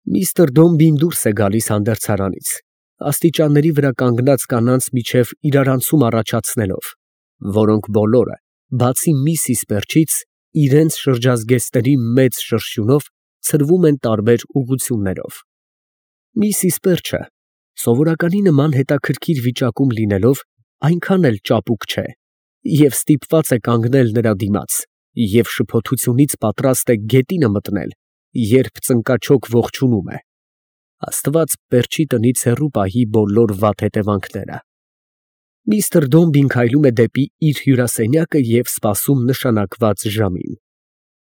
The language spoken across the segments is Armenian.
Միստր Դոմբին դուրս է գալիս հանդերձարանից, աստիճանների վրա կանգնած կանանց միջև իրարանցում առաջացնելով, որոնք բոլորը, բացի Միսիս Պերչից, իրենց շրջազգեստների մեծ շրշյունով ցրվում են տարբեր ուղղություններով։ Միսիս Պերչը, սովորականի նման հետաքրքիր վիճակում լինելով, այնքան էլ ճապուկ չէ և ստիպված է կանգնել նրա դիմաց և շփոթությունից պատրաստ է գետինը մտնել, երբ ծնկաչոք ողջունում է. Աստված Պերչի տնից հեռու պահի բոլոր վատ հետևանքները։ Միստր Դոմբին քայլում է դեպի իր հյուրասենյակը և սպասում նշանակված ժամին։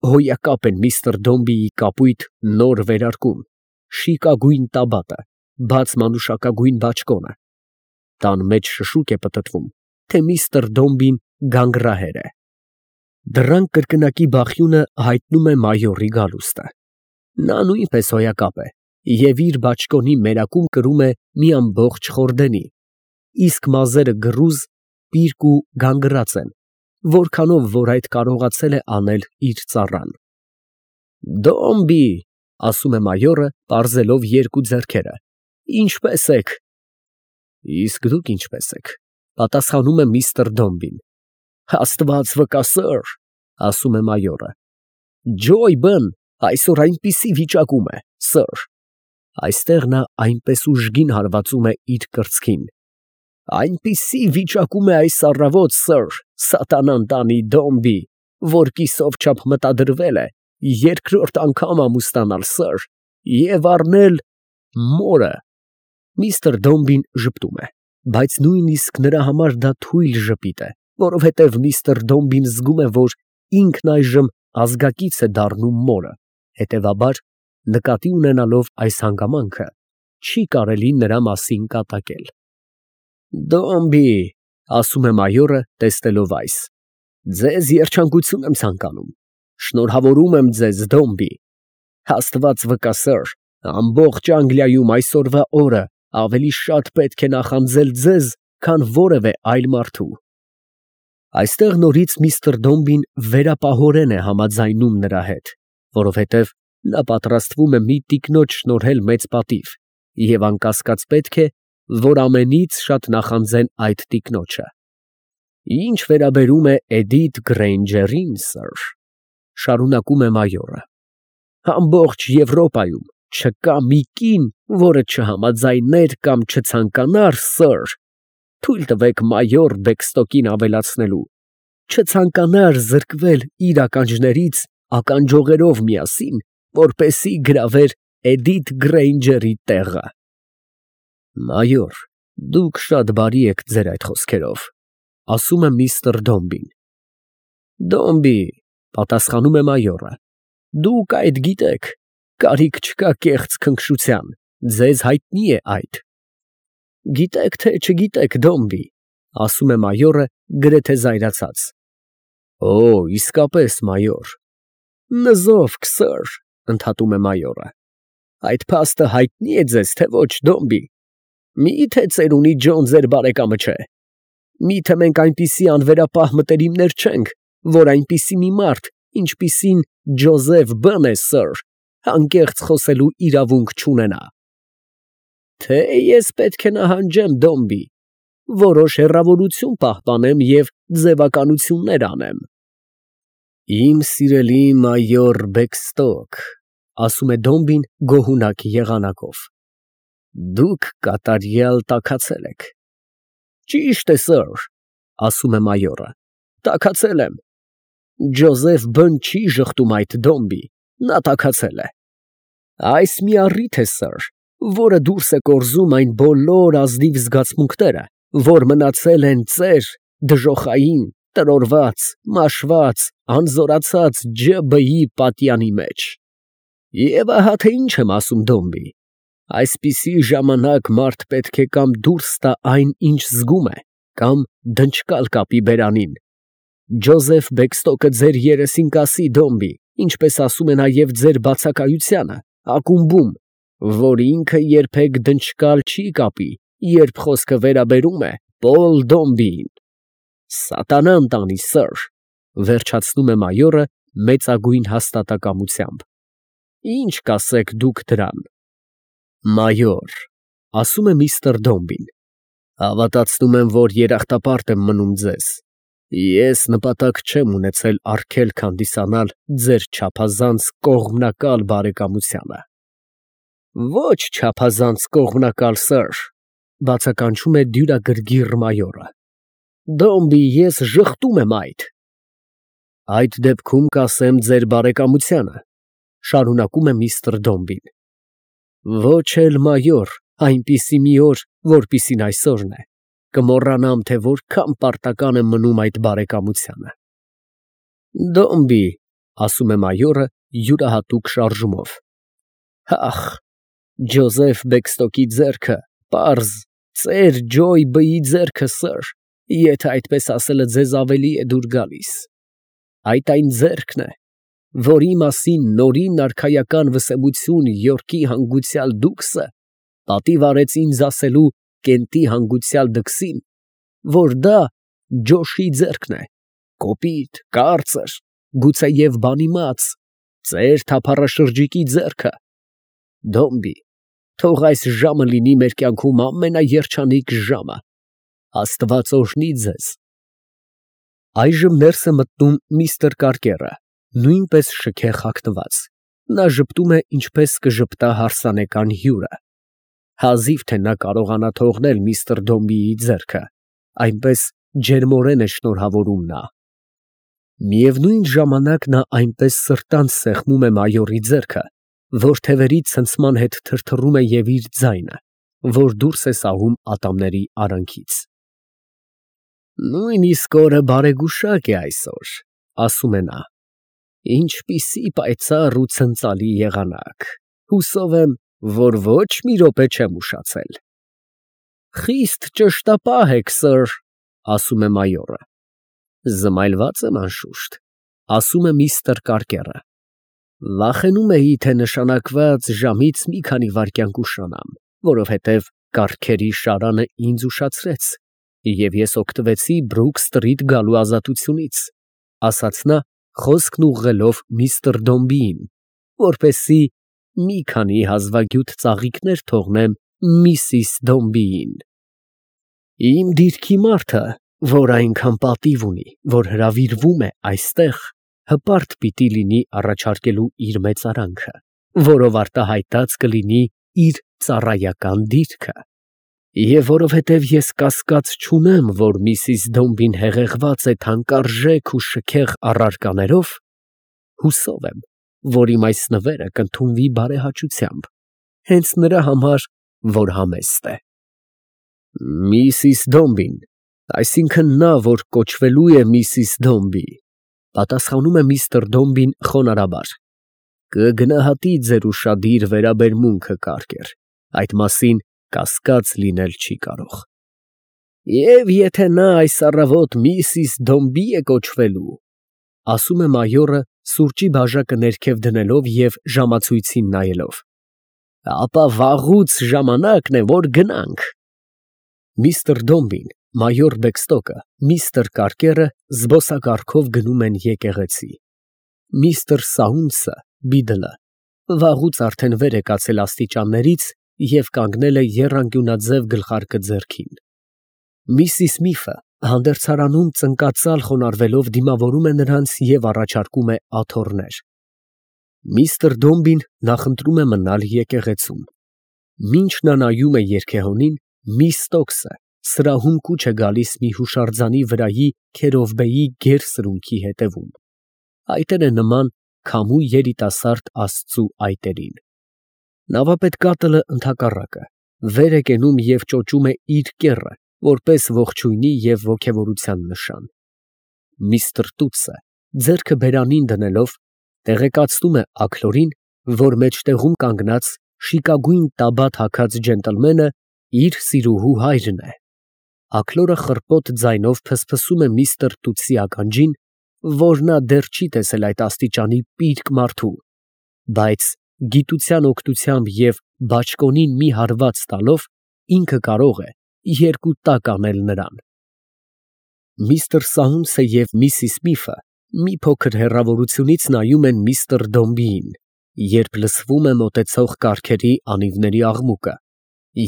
Հոյակապ են միստր Դոմբիի կապույտ նոր վերարկուն, շիկագույն տաբատը, բաց մանուշակագույն բաճկոնը։ Տան մեջ շշուկ է պտտվում, թե միստր Դոմբին գանգրահեր է։ Դռան կրկնակի բախյունը հայտնում է մայորի գալուստը։ Նա նույնպես հոյակապ է և իր բաճկոնի մերակում կրում է մի ամբողջ խորդենի, իսկ մազերը գռուզ, պիրկ ու գանգռած են, որքանով որ այդ կարողացել է անել իր ծառան։ «Դոմբի», ֊ ասում է մայորը, պարզելով երկու ձեռքերը, ֊ ինչպե՞ս եք։ Իսկ դուք ինչպե՞ս եք, ֊ պատասխանում է միստր Դոմբին։ Աստված վկա, սըր, ֊ ասում է մայորը, Ջոյբն այսօր այնպիսի վիճակում է, սըր։ Այստեղ նա այնպես ուժգին հարվածում է իր կրծքին։ Այնպիսի վիճակում է այս առավոտ, սըր, սատանան տանի Դոմբի, որ կիսով չափ մտադրվել է երկրորդ անգամ ամուսնանալ, սըր, և առնել մորը։ Միստր Դոմբին ժպտում է, բայց նույնիսկ նրա համար դա թույլ ժպիտ է, որովհետև միստր Դոմբին զգում է, որ ինքն այժմ ազգակից է դառնում մորը, հետևաբար, նկատի ունենալով այս հանգամանքը, չի կարելի նրա մասին կատակել։ «Դոմբի», ֊ ասում է մայորը, տեսնելով այս, ֊ ձեզ երջանկություն եմ ցանկանում։ Շնորհավորում եմ ձեզ, Դոմբի։ Աստված վկա, սըր, ամբողջ Անգլիայում այսօրվա օրը ավելի շատ պետք է նախանձել ձեզ, քան որևէ այլ մարդու։ Այստեղ նորից միստր Դոմբին վերապահորեն է համաձայնում նրա հետ, որովհետև նա պատրաստվում է մի տիկնոջ շնորհել մեծ պատիվ և անկասկած պետք է, որ ամենից շատ նախանձեն այդ տիկնոջը։ Ինչ վերաբերում է Էդիթ Գրեյնջերին, սըր, ֊ շարունակում է մայորը, ամբողջ Եվրոպայում չկա մի կին, որը չհամաձայներ կամ չցանկանար, սըր, թույլ տվեք մայոր Բեքստոկին ավելացնելու, չցանկանար զրկվել իր ականջներից ականջողերով միասին, որպեսզի գրավեր Էդիթ Գրեյնջերի տեղը։ Մայոր, դուք շատ բարի եք ձեր այդ խոսքերով, ֊ ասում է միստր Դոմբին։ Դոմբի, ֊ պատասխանում է մայորը, ֊ դուք այդ գիտեք, կարիք չկա կեղծ քնքշության, ձեզ հայտնի է այդ։ Գիտեք թե չգիտեք, Դոմբի, ֊ ասում է մայորը գրեթե զայրացած։ Օ, իսկապես, մայոր։ Նզովք, սըր, ֊ ընդհատում է մայորը։ Այդ փաստը հայտնի է ձեզ, թե ոչ, Դոմբի։ Մի՞թե ծերունի Ջոն ձեր բարեկամը չէ։ Մի՞թե մենք այնպիսի անվերապահ մտերիմներ չենք, որ այնպիսի մի մարդ, ինչպիսին Ջոզեֆ Բ֊ն է, սըր, անկեղծ խոսելու իրավունք չունենա։ Թե ես պետք է նահանջեմ, Դոմբի, որոշ հեռավորություն պահպանեմ և ձևականություններ անեմ։ Իմ սիրելի մայոր Բեքստոկ, ֊ ասում է Դոմբին գոհունակ եղանակով, ֊ դուք կատարյալ տաքացել եք։ Ճիշտ է, սըր, ֊ ասում է մայորը, ֊ տաքացել եմ։ Ջոզեֆ Բ֊ն չի ժխտում այդ, Դոմբի, նա տաքացել է։ Այս մի առիթ է, սըր, որը դուրս է կորզում այն բոլոր ազնիվ զգացմունքները, որ մնացել են ծեր, դժոխային, տրորված, մաշված, անզորացած ՋԲ֊ի պատյանի մեջ։ Եվ ահա թե ինչ եմ ասում, Դոմբի, այսպիսի ժամանակ մարդ պետք է կամ դուրս տա այն, ինչ զգում է, կամ դնչկալ կապի բերանին։ Ջոզեֆ Բեքստոկը ձեր երեսին կասի, Դոմբի, ինչպես ասում է նաև ձեր բացակայությանը, ակումբում, որ ինքը երբեք դնչկալ չի կապի, երբ խոսքը վերաբերում է Պոլ Դոմբիին։ Սատանան տանի, սըր, ֊ վերջացնում է մայորը մեծագույն հաստատակամությամբ։ Ի՞նչ կասեք դուք դրան։ Մայոր, ասում է միստր Դոմբին, հավատացնում եմ, որ երախտապարտ եմ մնում ձեզ։ Ես նպատակ չեմ ունեցել արգելք հանդիսանալ ձեր չափազանց կողմնակալ բարեկամությանը։ Ոչ չափազանց կողմնակալ, սըր, բացականչում է դյուրագրգիռ մայորը։ Դոմբի, ես ժխտում եմ այդ։ Այդ դեպքում կասեմ ձեր բարեկամությանը, շարունակում է միստր Դոմբին։ Ոչ էլ մայոր, այնպիսի մի օր, որպիսին այսօրն է, կմոռանամ, թե որքան պարտական եմ մնում այդ բարեկամությանը։ Դոմբի, ասում է մայորը յուրահատուկ շարժումով։ Ախ, Ջոզեֆ Բեքստոկի ձեռքը, պարզ, ծեր Ջոյ Բի ձեռքը, սըր, եթե այդպես ասելը ձեզ ավելի է դուր գալիս։ Այդ այն ձեռքն է, որի մասին նորին արքայական վսեմություն Յորքի հանգուցյալ դուքսը պատիվ արեց ինձ ասելու Կենտի հանգուցյալ դքսին, որ դա Ջոշի ձեռքն է, կոպիտ, կարծր, գուցեև բանիմաց, ծեր թափառաշրջիկի ձեռքը։ Դոմբի, թող այս ժամը լինի մեր կյանքում ամենաերջանիկ ժամը։ Աստված օրհնի ձեզ։ Այժմ ներս է մտնում միստր Կարկերը, նույնպես շքեղ հագնված։ Նա ժպտում է, ինչպես կժպտա հարսանեկան հյուրը։ Հազիվ թե նա կարողանա թողնել միստր Դոմբիի ձեռքը, այնպես ջերմորեն է շնորհավորում նա։ Միևնույն ժամանակ նա այնպես սրտանց սեղմում է մայորի ձեռքը, որ թևերի ցնցման հետ թրթռում է և իր ձայնը, որ դուրս է սահում ատամների արանքից։ Նույնիսկ օրը բարեգուշակ է այսօր, ասում է նա։ Ինչպիսի պայծառ ու ցնծալի եղանակ, հուսով եմ, որ ոչ մի րոպե չեմ ուշացել։ Խիստ ճշտապահ եք, սըր, ասում է մայորը։ Զմայլված եմ անշուշտ, ասում է միստր Կարկերը։ Վախենում էի, թե նշանակված ժամից մի քանի վայրկյան կուշանամ, որովհետև կառքերի շարանը ինձ ուշացրեց, և ես օգտվեցի Բրուք սթրիթ գալու ազատությունից, ասաց նա, խոսքն ուղղելով միստր Դոմբիին, որպեսզի մի քանի հազվագյուտ ծաղիկներ թողնեմ միսիս Դոմբիին։ Իմ դիրքի մարդը, որ այնքան պատիվ ունի, որ հրավիրվում է այստեղ, հպարտ պիտի լինի առաջարկելու իր մեծարանքը, որով արտահայտած կլինի իր ծառայական դիրքը։ Եվ որովհետև ես կասկած չունեմ, որ միսիս Դոմբին հեղեղված է թանկարժեք ու շքեղ առարկաներով, հուսով եմ, որ իմ այս նվերը կընդունվի բարեհաճությամբ, հենց նրա համար, որ համեստ է։ Միսիս Դոմբին, այսինքն նա, որ կոչվելու է միսիս Դոմբի, պատասխանում է միստր Դոմբին խոնարհաբար, կգնահատի ձեր ուշադիր վերաբերմունքը, Կարկեր, այդ մասին կասկած լինել չի կարող։ Եվ եթե նա այս առավոտ միսիս Դոմբի է կոչվելու, ասում է մայորը սուրճի բաժակը ներքև դնելով և ժամացույցին նայելով, ապա վաղուց ժամանակն է, որ գնանք։ Միստր Դոմբին, մայոր Բեքստոկը, միստր Կարկերը զբոսակառքով գնում են եկեղեցի։ Միստր Սաունցը, Բիդլը, վաղուց արդեն վեր է կացել աստիճաններից և կանգնել է եռանկյունաձև գլխարկը ձեռքին։ Միսիս Միֆը հանդերձարանում ծնկածալ խոնարհվելով դիմավորում է նրանց և առաջարկում է աթոռներ։ Միստր Դոմբին նախընտրում է մնալ եկեղեցում։ Մինչ նա նայում է երգեհոնին, միս Ստոքսը սրահում կուչ է գալիս մի հուշարձանի վրայի քերովբեի գեր սրունքի հետևում։ Այտերը նման քամու երիտասարդ աստծու այտերին։ Նավապետկատլը ընդհակառակը վեր է կենում և ճոճում է իր կեռը, որպես ողջույնի և ոգևորության նշան։ Միստր Տուտսը, ձեռքը բերանին դնելով, տեղեկացնում է Աքլորին, որ մեջտեղում կանգնած շիկագույն տաբատ հագած ջենտլմենը իր սիրուհու հայրն է։ Աքլորը խռպոտ ձայնով փսփսում է միստր Տուտսի ականջին, որ նա դեռ չի տեսել այդ աստիճանի պիրկ մարդու, բայց գիտության օգնությամբ և բաճկոնին մի հարված տալով ինքը կարող է երկու տակ անել նրան։ Միստր Սաունցը և միսիս Միֆը մի փոքր հեռավորությունից նայում են միստր Դոմբիին, երբ լսվում է մոտեցող կառքերի անիվների աղմուկը,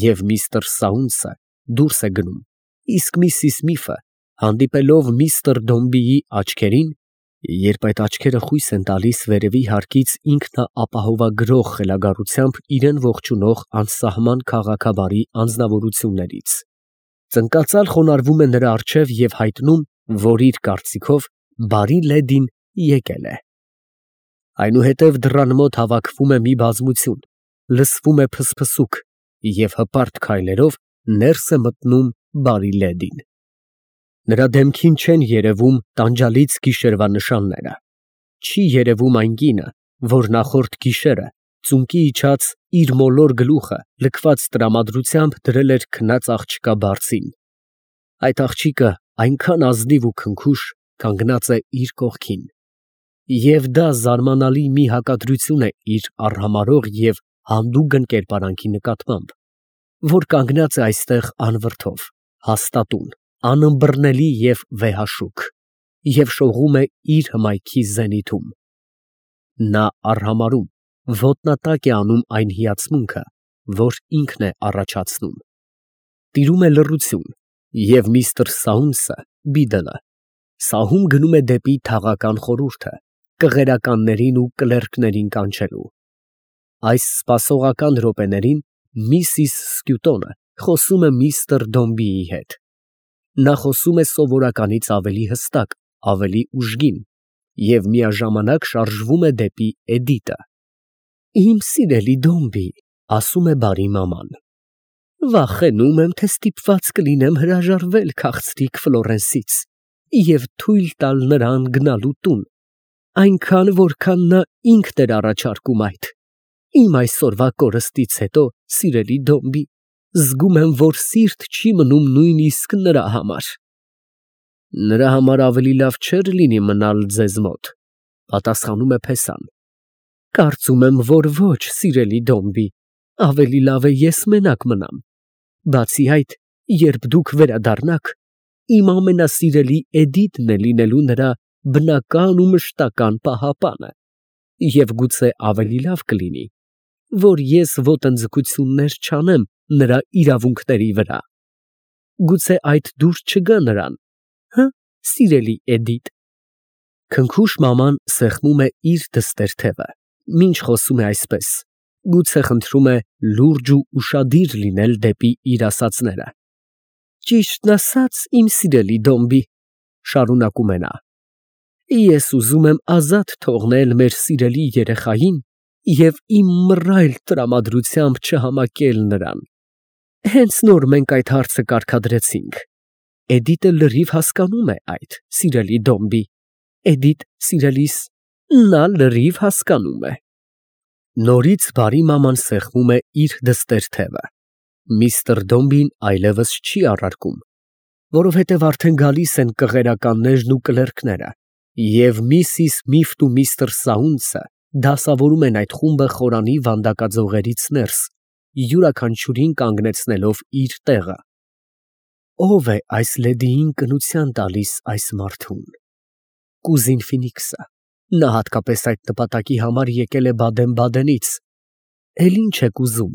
և միստր Սաունցը դուրս է գնում, իսկ Միսիս Միֆը, հանդիպելով միստր Դոմբիի աչքերին, երբ այդ աչքերը խույս են տալիս վերևի հարկից ինքնաապահովագրող խելագարությամբ իրեն ողջունող անսահման քաղաքաբարի անձնավորություններից, ծնկածալ խոնարհվում է նրա առջև և հայտնում, որ իր կարծիքով բարի լեդին եկել է։ Այնուհետև դռան մոտ հավաքվում է մի բազմություն, լսվում է փսփսուք, և հպարտ քայլերով ներս է մտնում բարի լեդին։ Նրա դեմքին չեն երևում տանջալից գիշերվա նշանները, չի երևում այն կինը, որ նախորդ գիշերը ծունկի իջած իր մոլոր գլուխը լքված տրամադրությամբ դրել էր քնած աղջկա բարձին։ Այդ աղջիկը այնքան ազնիվ ու քնքուշ կանգնած է իր կողքին, և դա զարմանալի մի հակադրություն է իր արհամարհող և հանդուգն կերպարանքի նկատմամբ, որ կանգնած է այստեղ անվրդով, հաստատուն, անըմբռնելի և վեհաշուք, և շողում է իր հմայքի զենիթում։ Նա արհամարհում, ոտնատակ է անում այն հիացմունքը, որ ինքն է առաջացնում։ Տիրում է լռություն, և միստր Սաունցը, Բիդլը, սահում գնում է դեպի թաղական խորհուրդը, կղերականներին ու կլերկներին կանչելու։ Այս սպասողական րոպեներին Միսիս Սկյուտոնը խոսում է միստր Դոմբիի հետ։ Նա խոսում է սովորականից ավելի հստակ, ավելի ուժգին և միաժամանակ շարժվում է դեպի Էդիտը։ Իմ սիրելի Դոմբի, ասում է բարի մաման, վախենում եմ, թե ստիպված կլինեմ հրաժարվել քաղցրիկ Ֆլորենսից և թույլ տալ նրան գնալու տուն, այնքան, որքան նա ինքն էր առաջարկում այդ։ Իմ այսօրվա կորստից հետո, սիրելի Դոմբի, զգում եմ, որ սիրտ չի մնում նույնիսկ նրա համար։ Նրա համար ավելի լավ չէր լինի մնալ ձեզ մոտ, պատասխանում է Փեսան։ Կարծում եմ, որ ոչ, սիրելի Դոմբի, ավելի լավ է ես մենակ մնամ։ Բացի այդ, երբ դուք վերադառնաք, իմ ամենասիրելի Էդիտն է լինելու նրա բնական ու մշտական պահապանը, և գուցե ավելի լավ կլինի, որ ես ոտնձգություններ չանեմ նրա իրավունքների վրա։ Գուցե այդ դուր չգա նրան, հը՞, սիրելի Էդիտ։ Քնքուշ մաման սեղմում է իր դստեր թևը, մինչ խոսում է այսպես, գուցե խնդրում է լուրջ ու ուշադիր լինել դեպի իր ասածները։ Ճիշտն ասած, իմ սիրելի Դոմբի, շարունակում է նա, ես ուզում եմ ազատ թողնել մեր սիրելի երեխային և իմ մռայլ տրամադրությամբ չհամակել նրան։ Հենց նոր մենք այդ հարցը կարգադրեցինք։ Էդիտը լրիվ հասկանում է այդ, սիրելի Դոմբի, Էդիտ սիրելիս, նա լրիվ հասկանում է։ Նորից բարի մաման սեղմում է իր դստեր թևը։ Միստր Դոմբին այլևս չի առարկում, որովհետև արդեն գալիս են կղերականներն ու կլերկները, և Միսիս Միֆն ու միստր Սաունցը դասավորում են այդ խումբը խորանի վանդակաձողերից ներս, յուրաքանչյուրին կանգնեցնելով իր տեղը։ Ո՞վ է այս լեդիին կնության տալիս այս մարդուն։ Կուզին Ֆինիքսը, նա հատկապես այդ նպատակի համար եկել է Բադեն֊Բադենից։ Էլ ինչ եք ուզում,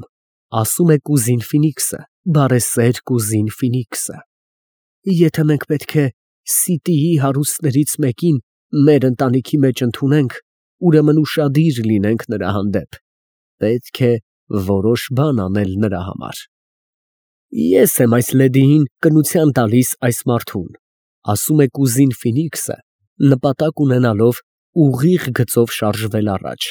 ասում է կուզին Ֆինիքսը, բարեսեր կուզին Ֆինիքսը։ Եթե մենք պետք է Սիտիի հարուստներից մեկին մեր ընտանիքի մեջ ընդունենք, ուրեմն ուշադիր լինենք նրա հանդեպ, պետք է որոշ բան անել նրա համար։ Ես եմ այս լեդիին կնության տալիս այս մարդուն, ասում է կուզին Ֆինիքսը, նպատակ ունենալով ուղիղ գծով շարժվել առաջ,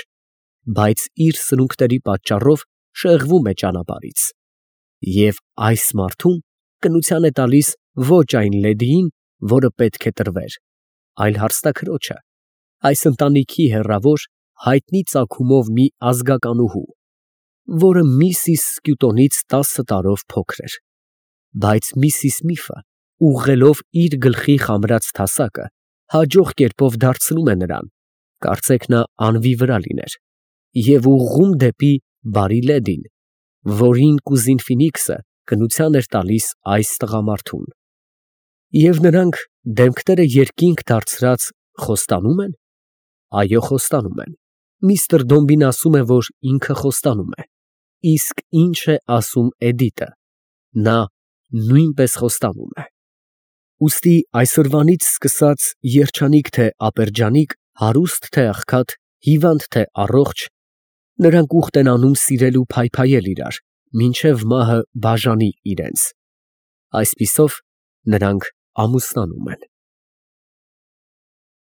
բայց իր սնունքների պատճառով շեղվում է ճանապարհից, և այս մարդուն կնության է տալիս ոչ այն լեդիին, որը պետք է տրվեր, այլ հարստաքրոջը, այս ընտանիքի հեռավոր, հայտնի ծագումով մի ազգականուհու, որը Միսիս Սկյուտոնից 10 տարով փոքր էր, բայց Միսիս Միֆը, ուղղելով իր գլխի խամրած թասակը, հաջող կերպով դարձնում է նրան, կարծեք նա անվի վրա լիներ, և ուղղում դեպի բարի լեդին, որին կուզին Ֆինիքսը կնության էր տալիս այս տղամարդուն։ Եվ նրանք դեմքները երկինք դարձրած խոստանո՞ւմ են։ Այո, խոստանում են, Միստր Դոմբին ասում է, որ ինքը խոստանում է, իսկ ինչ է ասում Էդիտը, նա նույնպես խոստանում է։ Ուստի այսօրվանից սկսած երջանիկ թե ապերջանիկ, հարուստ թե աղքատ, հիվանդ թե առողջ, նրանք ուխտ են անում սիրել ու փայփայել իրար, մինչև մահը բաժանի իրենց։ Այսպիսով նրանք ամուսնանում են։